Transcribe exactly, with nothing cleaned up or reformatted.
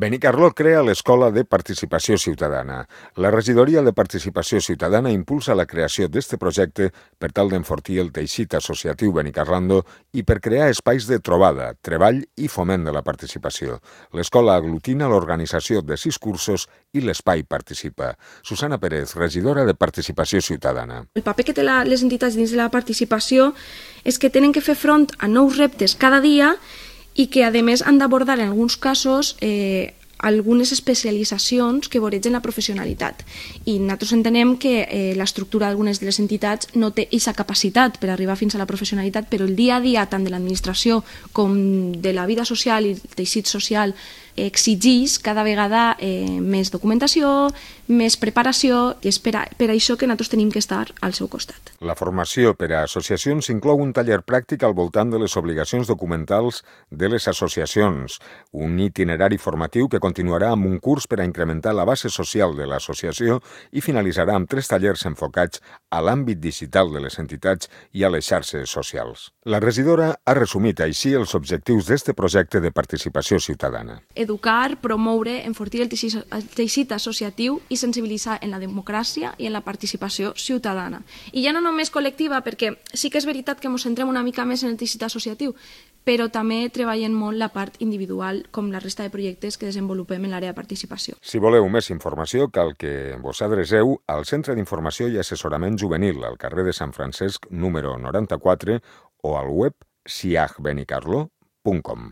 Benicarló crea l'Escola de Participació Ciutadana. La Regidoria de Participació Ciutadana impulsa la creació d'aquest projecte per tal d'enfortir el teixit associatiu benicarlando i per crear espais de trobada, treball i foment de la participació. L'escola aglutina l'organització de sis cursos i l'espai participa. Susana Pérez, regidora de Participació Ciutadana. El paper que tenen les entitats dins de la participació és que tenen que fer front a nous reptes cada dia i que, a més, han d'abordar en alguns casos eh, algunes especialitzacions que voregen la professionalitat. I nosaltres entenem que eh, l'estructura d'algunes de les entitats no té aquesta capacitat per arribar fins a la professionalitat, però el dia a dia, tant de l'administració com de la vida social i el teixit social, exigeix cada vegada eh, més documentació, més preparació, i és per, a, per això que nosaltres tenim que estar al seu costat. La formació per a associacions inclou un taller pràctic al voltant de les obligacions documentals de les associacions, un itinerari formatiu que continuarà amb un curs per a incrementar la base social de l'associació i finalitzarà amb tres tallers enfocats a l'àmbit digital de les entitats i a les xarxes socials. La regidora ha resumit així els objectius d'aquest projecte de participació ciutadana. Educar, promoure, enfortir el teixit, el teixit associatiu i sensibilitzar en la democràcia i en la participació ciutadana. I ja no només col·lectiva, perquè sí que és veritat que ens centrem una mica més en el teixit associatiu, però també treballem molt la part individual, com la resta de projectes que desenvolupem en l'àrea de participació. Si voleu més informació, cal que vos adreceu al Centre d'Informació i Assessorament Juvenil, al carrer de Sant Francesc, número noranta-quatre, o al web siag benicarló punt com.